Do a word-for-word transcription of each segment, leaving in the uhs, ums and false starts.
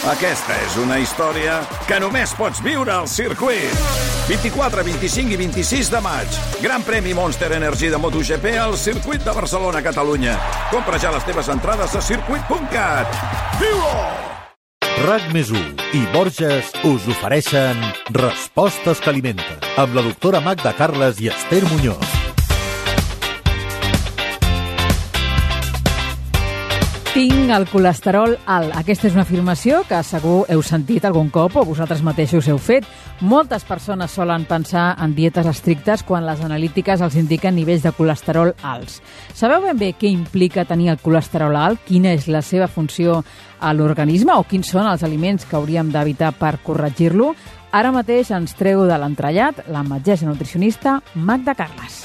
Aquesta és una història que només pots viure al circuit. vint-i-quatre, vint-i-cinc i vint-i-sis de maig. Gran premi Monster Energy de MotoGP al circuit de Barcelona, Catalunya. Compra ja les teves entrades a circuit punt cat. Viu-ho! RAC més u i Borges us ofereixen Respostes que alimenten amb la doctora Magda Carles i Esther Muñoz. Tinc el colesterol alt. Aquesta és una afirmació que segur heu sentit algun cop o vosaltres mateixos heu fet. Moltes persones solen pensar en dietes estrictes quan les analítiques els indiquen nivells de colesterol alts. Sabeu ben bé què implica tenir el colesterol alt? Quina és la seva funció a l'organisme o quins són els aliments que hauríem d'evitar per corregir-lo? Ara mateix ens treu de l'entrellat la metgessa nutricionista Magda Carles.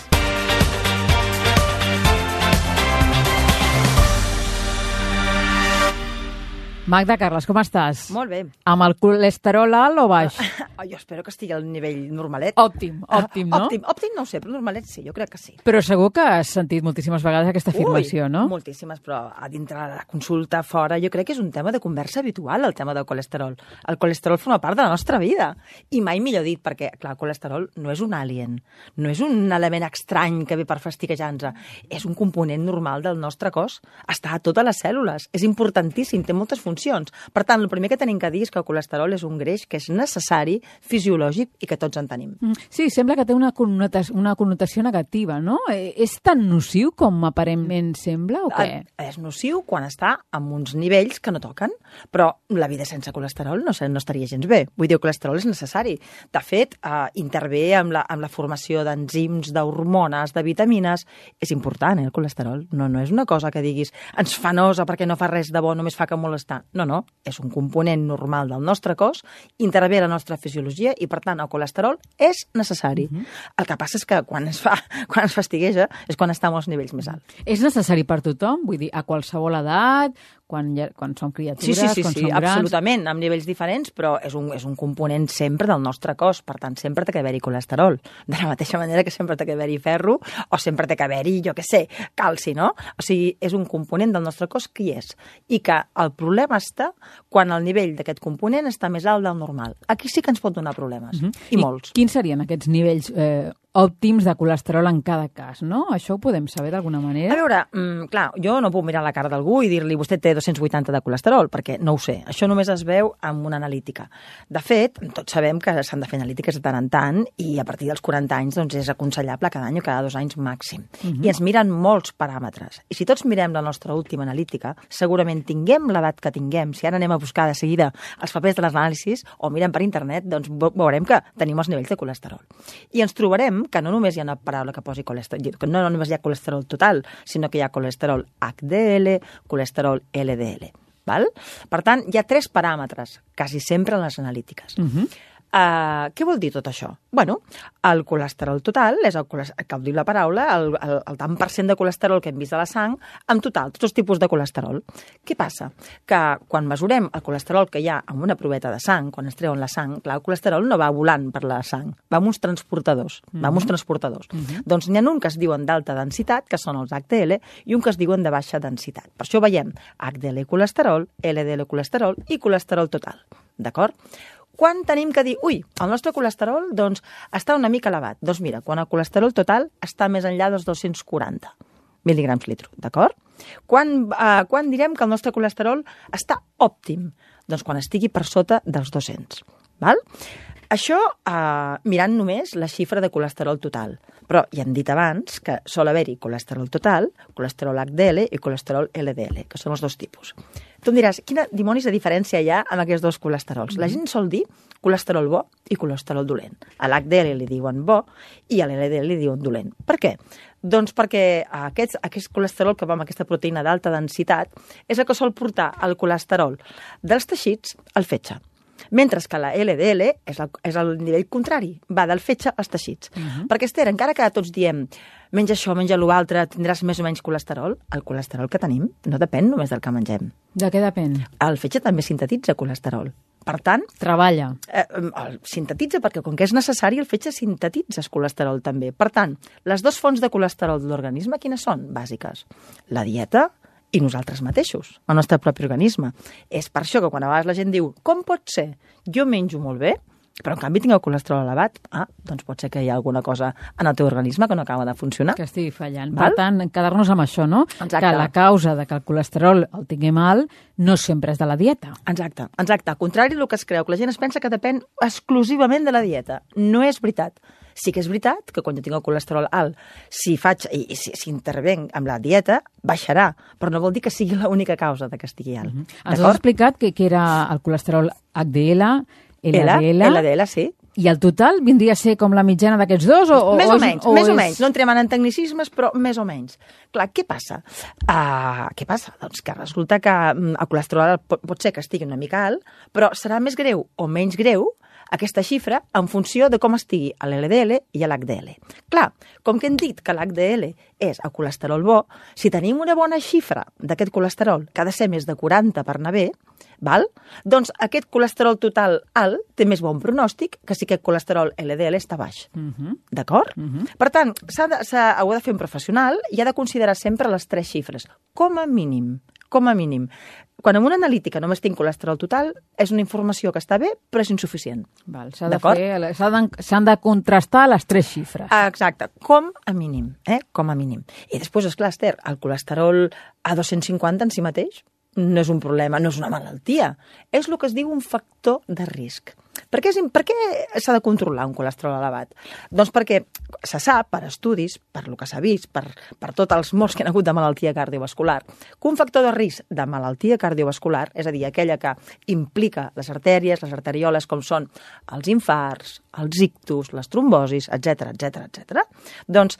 Magda Carles, com estàs? Molt bé. Amb el colesterol alt o baix? Oh, jo espero que estigui al nivell normalet. Òptim, òptim, no? Òptim, òptim no ho sé, però normalet sí, jo crec que sí. Però segur que has sentit moltíssimes vegades aquesta afirmació, Ui, no? moltíssimes, però a dintre de la consulta, fora, jo crec que és un tema de conversa habitual, el tema del colesterol. El colesterol forma part de la nostra vida. I mai millor dit, perquè, clar, el colesterol no és un alien, no és un element estrany que ve per fastiguejar-nos. És un component normal del nostre cos. Està a totes les cèl·lules. És importantíssim, té moltes funcions. Per tant, el primer que tenim que dir és que el colesterol és un greix que és necessari, fisiològic i que tots en tenim. Sí, sembla que té una connotació, una connotació negativa, no? És tan nociu com aparentment sembla o què? És nociu quan està amb uns nivells que no toquen, però la vida sense colesterol no, no estaria gens bé. Vull dir, el colesterol és necessari. De fet, eh, intervé amb la, amb la formació d'enzims, d'hormones, de vitamines. És important, eh, el colesterol. No, no és una cosa que diguis ens fa nosa perquè no fa res de bo, només fa que molestar. No, no, és un component normal del nostre cos, intervé a la nostra fisiologia i, per tant, el colesterol és necessari. Uh -huh. El que passa és que quan es fa, quan es fastigueja és quan està amb els nivells més alts. És necessari per tothom? Vull dir, a qualsevol edat, quan, ja, quan som criatures, sí, sí, sí, quan sí, som grans... absolutament, amb nivells diferents, però és un, és un component sempre del nostre cos, per tant, sempre té que haver-hi colesterol. De la mateixa manera que sempre té que haver-hi ferro o sempre té que haver-hi, jo què sé, calci, no? O sigui, és un component del nostre cos que hi és. I que el problema està quan el nivell d'aquest component està més alt del normal. Aquí sí que ens pot donar problemes, uh -huh. I, I molts. Quins serien aquests nivells eh, òptims de colesterol en cada cas, no? Això ho podem saber d'alguna manera? A veure, mm, clar, jo no puc mirar la cara d'algú i dir-li vostè té dos-cents vuitanta de colesterol, perquè no ho sé. Això només es veu amb una analítica. De fet, tots sabem que s'han de fer analítiques de tant en tant i a partir dels quaranta anys doncs, és aconsellable cada any o cada dos anys màxim. Uh -huh. I ens miren molts paràmetres. I si tots mirem la nostra última analítica, segurament tinguem l'edat que tinguem. Si ara anem a buscar de seguida els papers de les anàlisis o mirem per internet, doncs veurem que tenim els nivells de colesterol. I ens trobarem que no només hi ha una paraula que posi colesterol, no, no només hi ha colesterol total, sinó que hi ha colesterol H D L, colesterol L D L. Val? Per tant, hi ha tres paràmetres, quasi sempre en les analítiques. Uh-huh. Uh, què vol dir tot això? Bueno, el colesterol total és el que ho diu la paraula, el, el, el tant per cent de colesterol que hem vist a la sang, en total, tots els tipus de colesterol. Què passa? Que quan mesurem el colesterol que hi ha en una proveta de sang, quan es treuen la sang, clar, el colesterol no va volant per la sang, va amb uns transportadors, mm-hmm. va amb uns transportadors. Mm-hmm. Doncs n'hi ha un que es diuen d'alta densitat, que són els H D L, i un que es diuen de baixa densitat. Per això veiem H D L colesterol, L D L colesterol i colesterol total. D'acord? Quan tenim que dir, ui, el nostre colesterol doncs, està una mica elevat? Doncs mira, quan el colesterol total està més enllà dels dos-cents quaranta mil·ligrams litro, d'acord? Quan, eh, quan direm que el nostre colesterol està òptim? Doncs quan estigui per sota dels dos-cents, val? Això eh, mirant només la xifra de colesterol total. Però ja hem dit abans que sol haver-hi colesterol total, colesterol H D L i colesterol L D L, que són els dos tipus. Tu em diràs, quina dimonis de diferència hi ha amb aquests dos colesterols? La gent sol dir colesterol bo i colesterol dolent. A l'H D L li diuen bo i a l'L D L li diuen dolent. Per què? Doncs perquè aquest, aquest colesterol que va amb aquesta proteïna d'alta densitat és el que sol portar el colesterol dels teixits al fetge. Mentre que la L D L és el, és el nivell contrari, va del fetge als teixits. Uh -huh. Perquè, Esther, encara que tots diem menja això, menja l'altre, tindràs més o menys colesterol, el colesterol que tenim no depèn només del que mengem. De què depèn? El fetge també sintetitza colesterol. Per tant... Treballa. Eh, el sintetitza perquè, com que és necessari, el fetge sintetitza el colesterol també. Per tant, les dues fonts de colesterol de l'organisme, quines són? Bàsiques. La dieta i nosaltres mateixos, el nostre propi organisme. És per això que quan a vegades la gent diu com pot ser? Jo menjo molt bé, però en canvi tinc el colesterol elevat. Ah, doncs pot ser que hi ha alguna cosa en el teu organisme que no acaba de funcionar. Que estigui fallant. Val? Per tant, quedar-nos amb això, no? Exacte. Que la causa de que el colesterol el tinguem alt no sempre és de la dieta. Exacte, exacte. Al contrari del que es creu, que la gent es pensa que depèn exclusivament de la dieta. No és veritat. Sí que és veritat que quan jo tinc el colesterol alt, si faig i, i si, si intervenc amb la dieta, baixarà, però no vol dir que sigui l'única causa de que estigui alt. Mm-hmm. Ens has explicat que, que era el colesterol H D L, L D L, L D L, sí. I el total vindria a ser com la mitjana d'aquests dos? O, o, més o, o menys, o més és... o menys. No entrem en tecnicismes, però més o menys. Clar, què passa? Uh, què passa? Doncs que resulta que mm, el colesterol pot, pot ser que estigui una mica alt, però serà més greu o menys greu aquesta xifra en funció de com estigui l'L D L i l'H D L. Clar, com que hem dit que l'H D L és el colesterol bo, si tenim una bona xifra d'aquest colesterol, que ha de ser més de quaranta per anar bé, val? Doncs aquest colesterol total alt té més bon pronòstic que si aquest colesterol L D L està baix. Uh-huh. D'acord? Uh-huh. Per tant, s'ha de, s'ha, ho ha de fer un professional i ha de considerar sempre les tres xifres, com a mínim. Com a mínim. Quan en una analítica només tinc colesterol total, és una informació que està bé, però és insuficient. Val, s'ha de fer, s'han de contrastar les tres xifres. Exacte, com a mínim, eh? Com a mínim. I després, esclar, Esther, el colesterol a dos-cents cinquanta en si mateix no és un problema, no és una malaltia. És el que es diu un factor de risc. Per què, és, per què s'ha de controlar un colesterol elevat? Doncs perquè se sap, per estudis, per lo que s'ha vist, per, per tots els morts que han hagut de malaltia cardiovascular, que un factor de risc de malaltia cardiovascular, és a dir, aquella que implica les artèries, les arterioles, com són els infarts, els ictus, les trombosis, etcètera, etcètera, etcètera, doncs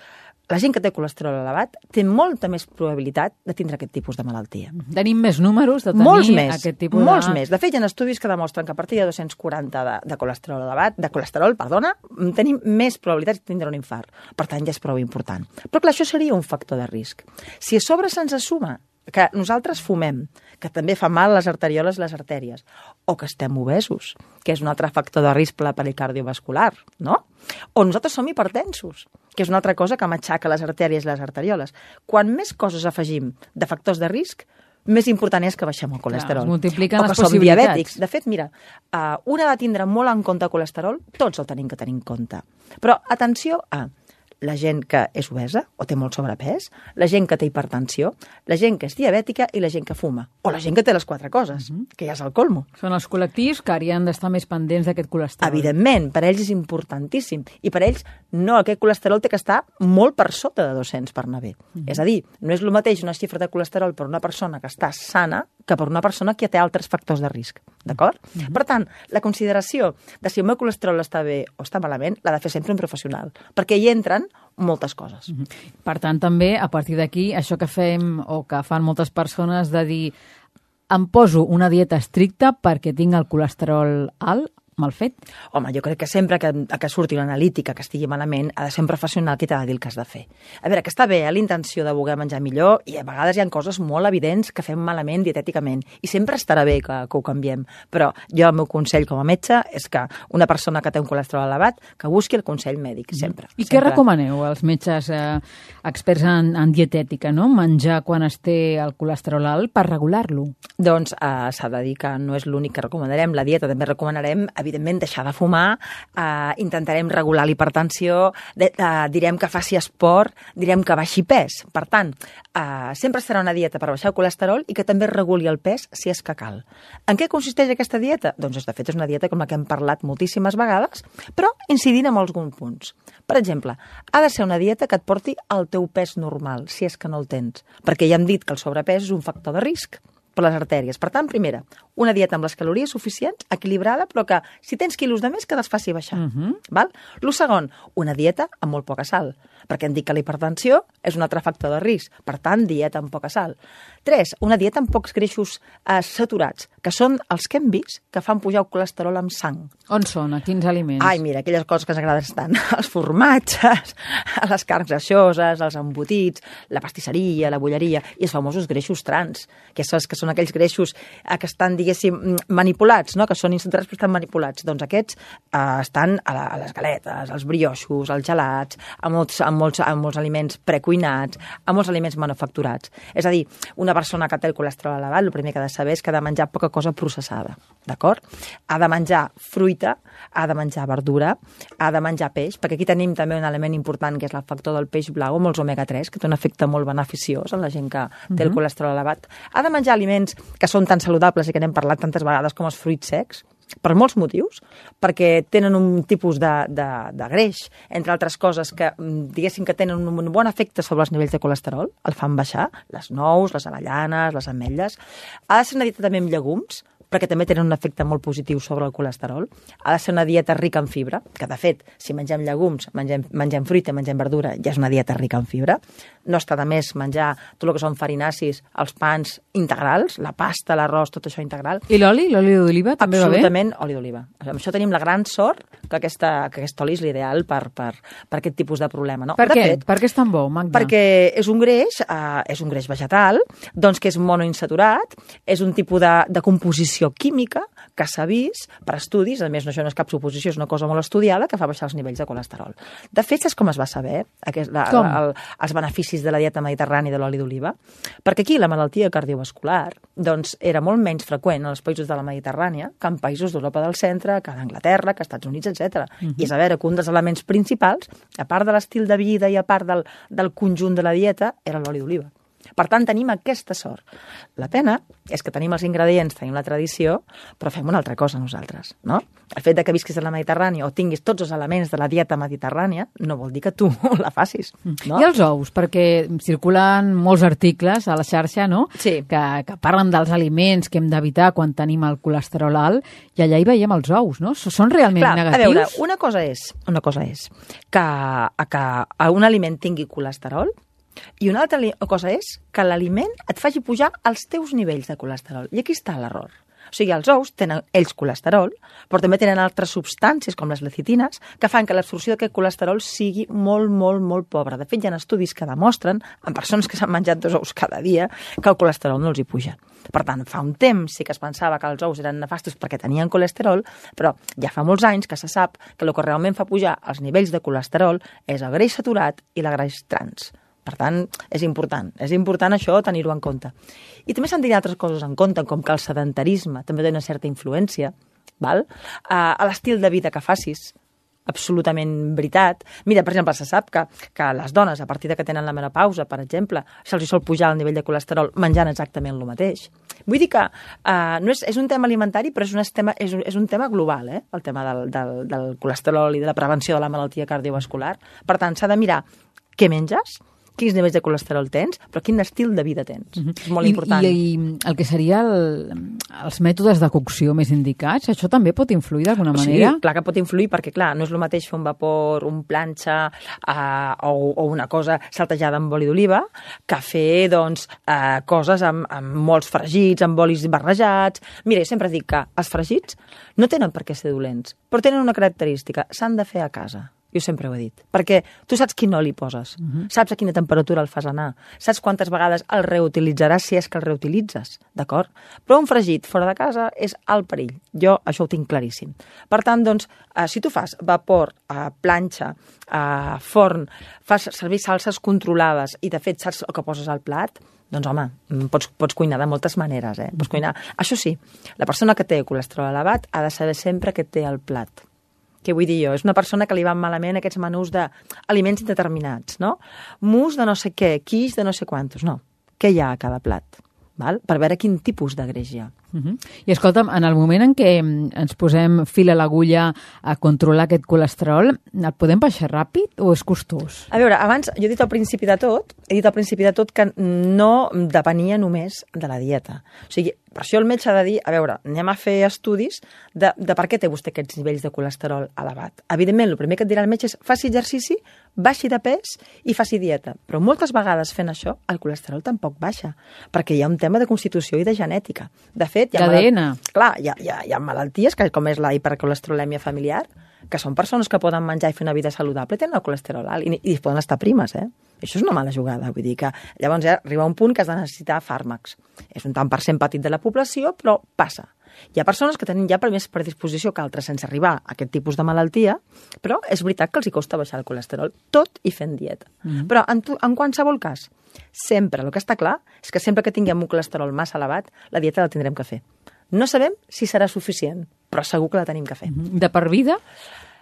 la gent que té colesterol elevat té molta més probabilitat de tindre aquest tipus de malaltia. Tenim més números de tenir molts més, aquest tipus molts de... més. De fet, hi ha estudis que demostren que a partir de dos-cents quaranta de, de colesterol elevat, de colesterol, perdona, tenim més probabilitats de tindre un infart. Per tant, ja és prou important. Però clar, això seria un factor de risc. Si a sobre se'ns assuma que nosaltres fumem, que també fa mal les arterioles i les artèries, o que estem obesos, que és un altre factor de risc per l'aparell cardiovascular, no? O nosaltres som hipertensos, que és una altra cosa que matxaca les artèries i les arterioles. Quan més coses afegim de factors de risc, més important és que baixem el colesterol. Clar, es multipliquen o que les som possibilitats. diabètics. De fet, mira, uh, un ha de tindre molt en compte el colesterol, tots el tenim que tenir en compte. Però atenció a la gent que és obesa o té molt sobrepès, la gent que té hipertensió, la gent que és diabètica i la gent que fuma. O la gent que té les quatre coses, uh-huh. que ja és el colmo. Són els col·lectius que haurien d'estar més pendents d'aquest colesterol. Evidentment, per ells és importantíssim. I per ells, no, aquest colesterol té que estar molt per sota de dos-cents per anar bé. Uh-huh. És a dir, no és el mateix una xifra de colesterol per una persona que està sana que per una persona que té altres factors de risc. D'acord? Uh-huh. Per tant, la consideració de si el meu colesterol està bé o està malament l'ha de fer sempre un professional, perquè hi entren moltes coses. Uh-huh. Per tant, també, a partir d'aquí, això que fem o que fan moltes persones de dir em poso una dieta estricta perquè tinc el colesterol alt, mal fet? Home, jo crec que sempre que, que surti una analítica que estigui malament, ha de ser un professional que t'ha de dir el que has de fer. A veure, que està bé, eh, la intenció de voler menjar millor, i a vegades hi ha coses molt evidents que fem malament dietèticament, i sempre estarà bé que, que ho canviem. Però jo el meu consell com a metge és que una persona que té un colesterol elevat, que busqui el consell mèdic, sempre. I sempre. què recomaneu als metges eh, experts en, en dietètica, no? Menjar quan es té el colesterol alt per regular-lo? Doncs eh, s'ha de dir que no és l'únic que recomanarem. La dieta també recomanarem, evidentment, deixar de fumar, eh, intentarem regular l'hipertensió, de, eh, direm que faci esport, direm que baixi pes. Per tant, eh, sempre serà una dieta per baixar el colesterol i que també reguli el pes si és que cal. En què consisteix aquesta dieta? Doncs, de fet, és una dieta com la que hem parlat moltíssimes vegades, però incidint en alguns punts. Per exemple, ha de ser una dieta que et porti al teu pes normal, si és que no el tens, perquè ja hem dit que el sobrepès és un factor de risc per les artèries. Per tant, primera, una dieta amb les calories suficients, equilibrada, però que si tens quilos de més que les faci baixar. Uh-huh. Val? Lo segon, una dieta amb molt poca sal, perquè hem dit que la hipertensió és un altre factor de risc. Per tant, dieta amb poca sal. Tres, una dieta amb pocs greixos eh, saturats, que són els que hem vist que fan pujar el colesterol amb sang. On són? A quins aliments? Ai, mira, aquelles coses que ens agraden tant. Els formatges, les carns greixoses, els embotits, la pastisseria, la bolleria i els famosos greixos trans, que són, que són aquells greixos eh, que estan, diguéssim, manipulats, no? Que són insaturats però estan manipulats. Doncs aquests eh, estan a, la, a les galetes, als brioixos, als gelats, a molts, a molts, a molts aliments precuinats, a molts aliments manufacturats. És a dir, una persona que té el colesterol elevat, el primer que ha de saber és que ha de menjar poca cosa processada, d'acord? Ha de menjar fruita, ha de menjar verdura, ha de menjar peix, perquè aquí tenim també un element important que és el factor del peix blau amb els omega tres, que té un efecte molt beneficiós en la gent que té el colesterol elevat. Ha de menjar aliments que són tan saludables i que n'hem parlat tantes vegades com els fruits secs, per molts motius, perquè tenen un tipus de, de, de greix, entre altres coses que, diguéssim, que tenen un bon efecte sobre els nivells de colesterol, el fan baixar, les nous, les avellanes, les ametlles. Ha de ser una dieta també amb llegums, perquè també tenen un efecte molt positiu sobre el colesterol. Ha de ser una dieta rica en fibra, que de fet, si mengem llegums, mengem, mengem fruita, mengem verdura, ja és una dieta rica en fibra. No està de més menjar tot el que són farinacis, els pans integrals, la pasta, l'arròs, tot això integral. I l'oli? L'oli d'oliva també va bé? Absolutament, oli d'oliva. Amb això tenim la gran sort que, aquesta, que aquest oli és l'ideal per, per, per aquest tipus de problema. No? Per de què? Fet, per què és tan bo, Magda? perquè és un greix, eh, és un greix vegetal, doncs que és monoinsaturat, és un tipus de, de composició química que s'ha vist per estudis, a més no, això no és cap suposició, és una cosa molt estudiada, que fa baixar els nivells de colesterol. De fet, saps com es va saber aquest, la, el, els beneficis de la dieta mediterrània i de l'oli d'oliva? Perquè aquí la malaltia cardiovascular doncs, era molt menys freqüent en els països de la Mediterrània que en països d'Europa del centre, que d'Anglaterra, que Estats Units, etcètera. Uh-huh. I és a veure que un dels elements principals, a part de l'estil de vida i a part del, del conjunt de la dieta, era l'oli d'oliva. Per tant, tenim aquesta sort. La pena és que tenim els ingredients, tenim la tradició, però fem una altra cosa nosaltres, no? El fet de que visquis a la Mediterrània o tinguis tots els elements de la dieta mediterrània no vol dir que tu la facis, no? I els ous, perquè circulen molts articles a la xarxa, no? Sí. Que, que parlen dels aliments que hem d'evitar quan tenim el colesterol alt, i allà hi veiem els ous, no? Són realment Clar, negatius? A veure, una cosa és, una cosa és que, que un aliment tingui colesterol, i una altra cosa és que l'aliment et faci pujar els teus nivells de colesterol. I aquí està l'error. O sigui, els ous tenen ells colesterol, però també tenen altres substàncies, com les lecitines, que fan que l'absorció d'aquest colesterol sigui molt, molt, molt pobra. De fet, hi ha estudis que demostren, en persones que s'han menjat dos ous cada dia, que el colesterol no els hi puja. Per tant, fa un temps sí que es pensava que els ous eren nefastos perquè tenien colesterol, però ja fa molts anys que se sap que el que realment fa pujar els nivells de colesterol és el greix saturat i la greix trans. Per tant, és important. És important això tenir-ho en compte. I també s'han de tenir altres coses en compte, com que el sedentarisme també té una certa influència, val? Uh, a l'estil de vida que facis, absolutament veritat. Mira, per exemple, se sap que, que les dones, a partir de que tenen la menopausa, per exemple, se'ls sol pujar el nivell de colesterol menjant exactament el mateix. Vull dir que uh, no és, és un tema alimentari, però és un tema, és, és un tema global, eh? El tema del, del, del colesterol i de la prevenció de la malaltia cardiovascular. Per tant, s'ha de mirar què menges, quins nivells de colesterol tens, però quin estil de vida tens. Uh-huh. És molt I, important. I, I el que seria el, els mètodes de cocció més indicats, això també pot influir d'alguna manera? Sí, clar que pot influir, perquè clar, no és el mateix fer un vapor, un planxa uh, o, o una cosa saltejada amb oli d'oliva que fer, doncs, uh, coses amb, amb molts fregits, amb olis barrejats. Mira, jo sempre dic que els fregits no tenen per què ser dolents, però tenen una característica, s'han de fer a casa. Jo sempre ho he dit. Perquè tu saps quin oli poses, uh-huh. saps a quina temperatura el fas anar, saps quantes vegades el reutilitzaràs si és que el reutilitzes, d'acord? Però un fregit fora de casa és alt perill. Jo això ho tinc claríssim. Per tant, doncs, eh, si tu fas vapor, eh, planxa, eh, forn, fas servir salses controlades i, de fet, saps el que poses al plat, doncs, home, pots, pots cuinar de moltes maneres, eh? Pots cuinar. Això sí, la persona que té colesterol elevat ha de saber sempre què té al plat. Què vull dir jo? És una persona que li van malament aquests menús d'aliments indeterminats, no? Mus de no sé què, quiche de no sé quantos, no. Què hi ha a cada plat? Val? Per veure quin tipus de greix hi ha. Uh-huh. I escolta'm, en el moment en què ens posem fil a l'agulla a controlar aquest colesterol, el podem baixar ràpid o és costós? A veure, abans, jo he dit al principi de tot, he dit al principi de tot que no depenia només de la dieta. O sigui, per això el metge ha de dir, a veure, anem a fer estudis de, de per què té vostè aquests nivells de colesterol elevat. Evidentment, el primer que et dirà el metge és faci exercici, baixi de pes i faci dieta. Però moltes vegades fent això, el colesterol tampoc baixa, perquè hi ha un tema de constitució i de genètica. De fet, hi ha, d'A D N. Clar, hi ha, hi, ha, hi ha malalties, que com és la hipercolesterolèmia familiar, que són persones que poden menjar i fer una vida saludable, tenen el colesterol alt i, i poden estar primes, eh? Això és una mala jugada, vull dir que llavors ja arriba un punt que has de necessitar fàrmacs. És un tant per cent petit de la població, però passa. Hi ha persones que tenen ja per més predisposició que altres sense arribar a aquest tipus de malaltia, però és veritat que els hi costa baixar el colesterol, tot i fent dieta. Mm-hmm. Però en, tu, en qualsevol cas, sempre, el que està clar és que sempre que tinguem un colesterol massa elevat, la dieta la tindrem que fer. No sabem si serà suficient, però segur que la tenim que fer. De per vida?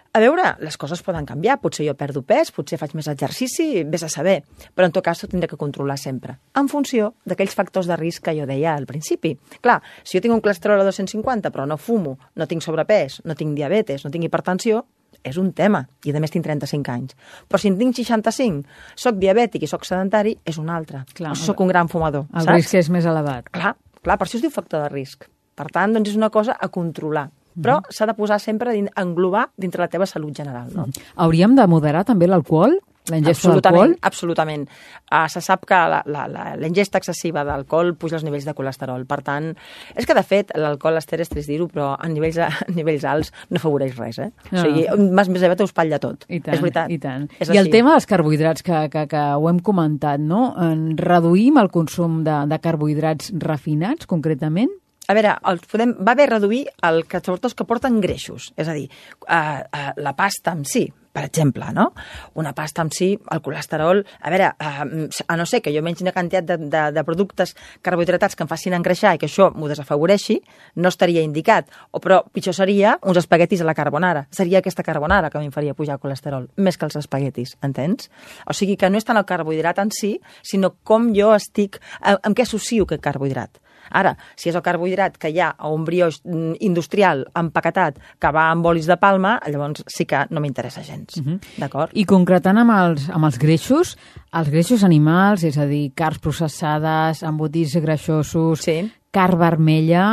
A veure, les coses poden canviar. Potser jo perdo pes, potser faig més exercici, vés a saber. Però en tot cas ho tindré que controlar sempre, en funció d'aquells factors de risc que jo deia al principi. Clar, si jo tinc un colesterol a dos-cents cinquanta però no fumo, no tinc sobrepès, no tinc diabetes, no tinc hipertensió, és un tema, i a més tinc trenta-cinc anys. Però si en tinc seixanta-cinc, soc diabètic i soc sedentari, és un altre. Clar, o soc un gran fumador, el saps? risc és més elevat. Clar, clar, per això es diu factor de risc. Per tant, doncs és una cosa a controlar. Però s'ha de posar sempre, a englobar dintre la teva salut general. No? Hauríem de moderar també l'alcohol? La ingesta d'alcohol? Absolutament. Uh, se sap que la, la, la, la ingesta excessiva d'alcohol puja els nivells de colesterol. Per tant, és que de fet l'alcohol, Esther, és trist dir-ho, però a nivells, a nivells alts no afavoreix res. Eh? No. O sigui, més més aviat ho espatlla tot. I tant, és veritat. I tant. És I així. el tema dels carbohidrats, que, que, que ho hem comentat, no? En reduïm el consum de, de carbohidrats refinats, concretament? A veure, el podem, va bé reduir el que, sobretot els que porten greixos. És a dir, uh, uh, la pasta en si, per exemple, no? Una pasta en si, el colesterol... A veure, uh, a no ser que jo mengi una quantitat de, de, de productes carbohidratats que em facin engreixar i que això m'ho desafavoreixi, no estaria indicat. O, però pitjor seria uns espaguetis a la carbonara. Seria aquesta carbonara que a mi em faria pujar el colesterol, més que els espaguetis, entens? O sigui que no és tant el carbohidrat en si, sinó com jo estic... Amb què associo aquest carbohidrat. Ara, si és el carbohidrat que hi ha a un brioix industrial empaquetat que va amb olis de palma, llavors sí que no m'interessa gens. Uh-huh. D'acord? I concretant amb els, amb els greixos, els greixos animals, és a dir, carns processades, embotits greixosos, sí. carn vermella...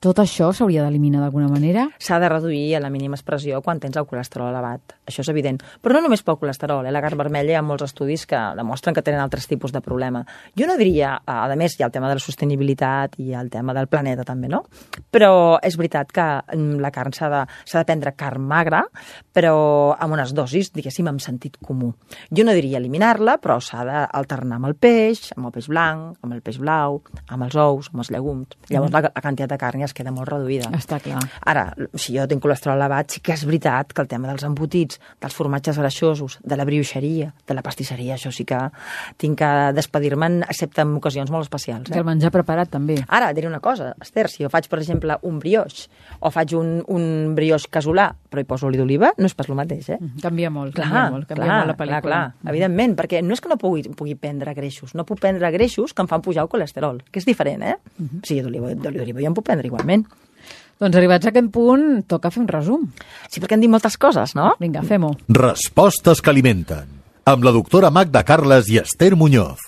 Tot això s'hauria d'eliminar d'alguna manera? S'ha de reduir a la mínima expressió quan tens el colesterol elevat. Això és evident. Però no només pel colesterol. Eh? La carn vermella hi ha molts estudis que demostren que tenen altres tipus de problema. Jo no diria... A més, hi ha el tema de la sostenibilitat i el tema del planeta també, no? Però és veritat que la carn s'ha de, s'ha de prendre carn magra, però amb unes dosis, diguéssim, amb sentit comú. Jo no diria eliminar-la, però s'ha d'alternar amb el peix, amb el peix blanc, amb el peix blau, amb els ous, amb els llegums. Llavors mm. la, la quantitat de carn ja es queda molt reduïda. Està clar. Ara, si jo tinc colesterol elevat, sí que és veritat que el tema dels embotits, dels formatges greixosos, de la brioixeria, de la pastisseria, això sí que tinc que despedir-me'n, excepte en ocasions molt especials. Eh? Que el menjar preparat també. Ara, diré una cosa, Esther, si jo faig, per exemple, un brioix, o faig un, un brioix casolà, però hi poso oli d'oliva, no és pas el mateix, eh? Canvia molt, clar, canvia molt, canvia clar, molt la pel·lícula. Clar, clar, evidentment, perquè no és que no pugui, pugui prendre greixos, no puc prendre greixos que em fan pujar el colesterol, que és diferent, eh? Uh-huh. Sí, d'oliva d'oliva ja em puc prendre igualment. Doncs arribats a aquest punt, toca fer un resum. Sí, perquè hem dit moltes coses, no? Vinga, fem-ho. Respostes que alimenten. Amb la doctora Magda Carles i Esther Muñoz.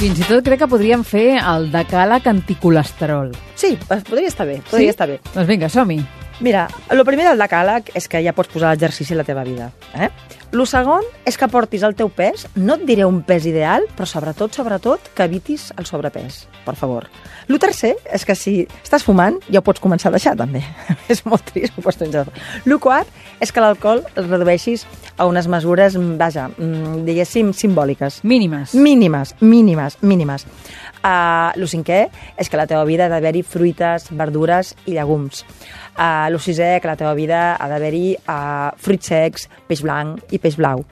Fins i tot crec que podríem fer el decàleg anticolesterol. Sí, podria estar bé, podria sí? estar bé. Doncs vinga, som-hi. Mira, el primer del decàleg és que ja pots posar l'exercici a la teva vida. Eh? El segon és que portis el teu pes, no et diré un pes ideal, però sobretot, sobretot, que evitis el sobrepès, per favor. El tercer és que si estàs fumant, ja ho pots començar a deixar, també. És molt trist. El quart és que l'alcohol el redueixis a unes mesures, vaja, diguéssim, simbòliques. Mínimes. Mínimes, mínimes, mínimes. Uh, el cinquè és que a la teva vida ha d'haver-hi fruites, verdures i llegums. Uh, el sisè, que a la teva vida ha d'haver-hi uh, fruits secs, peix blanc i peix blau.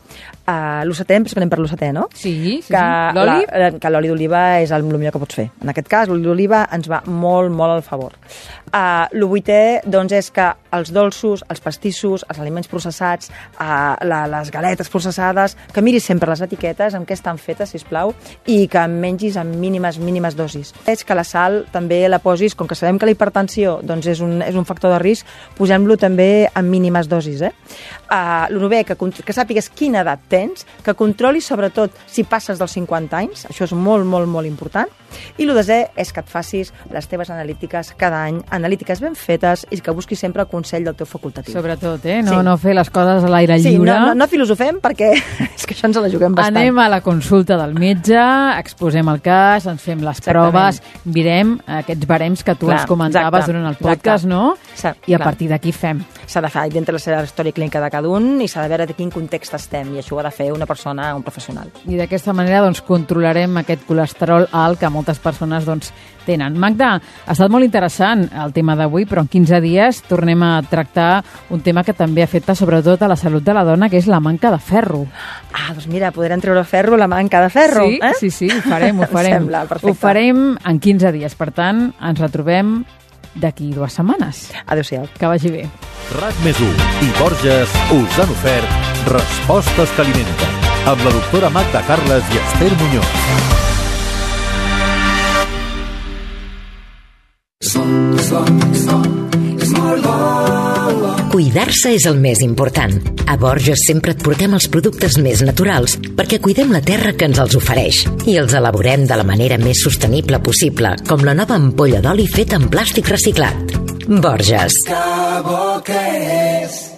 Uh, el setè, després anem per l'u setè, no? Sí, sí, que sí. L'oli? La, que l'oli d'oliva és el millor que pots fer. En aquest cas, l'oli d'oliva ens va molt, molt al favor. Uh, el vuitè, doncs, és que els dolços, els pastissos, els aliments processats, uh, la, les galetes processades, que miris sempre les etiquetes amb què estan fetes, sisplau, i que en mengis en mínimes, mínimes dosis. És que la sal també la posis, com que sabem que la hipertensió doncs, és, un, és un factor de risc, posem-lo també en mínimes dosis. Eh? Uh, el novè, que, que sàpigues quina edat tens, que controlis sobretot si passes dels cinquanta anys, això és molt, molt, molt important, i el desè és que et facis les teves analítiques cada any, analítiques ben fetes, i que busquis sempre el consell del teu facultatiu. Sobretot, eh? No, sí. no fer les coses a l'aire sí, lliure. Sí, no, no, no filosofem perquè és que això ens la juguem bastant. Anem a la consulta del metge, exposem el cas, ens fem les Exactament. proves, mirem aquests barems que tu clar, ens comentaves exacte, durant el podcast, exacte. no? Sí, I a clar. partir d'aquí fem. S'ha de fer dintre la seva història clínica de cada un i s'ha de veure de quin context estem, i això ho ha de fer una persona, un professional. I d'aquesta manera doncs, controlarem aquest colesterol alt que moltes persones doncs, tenen. Magda, ha estat molt interessant el tema d'avui, però en quinze dies tornem a tractar un tema que també afecta sobretot a la salut de la dona, que és la manca de ferro. Ah, doncs mira, podrem treure ferro, la manca de ferro. Sí, eh? sí, sí, ho farem, ho farem. Sembla, perfecte. Ho farem en quinze dies, per tant, ens retrobem d'aquí dues setmanes. Adéu-siau. Que vagi bé. RAC més u i Borges us han ofert Respostes que alimenten, amb la doctora Magda Carles i Esther Muñoz. Cuidar-se és el més important. A Borges sempre et portem els productes més naturals perquè cuidem la terra que ens els ofereix i els elaborem de la manera més sostenible possible, com la nova ampolla d'oli feta en plàstic reciclat. Borges. Que bo que és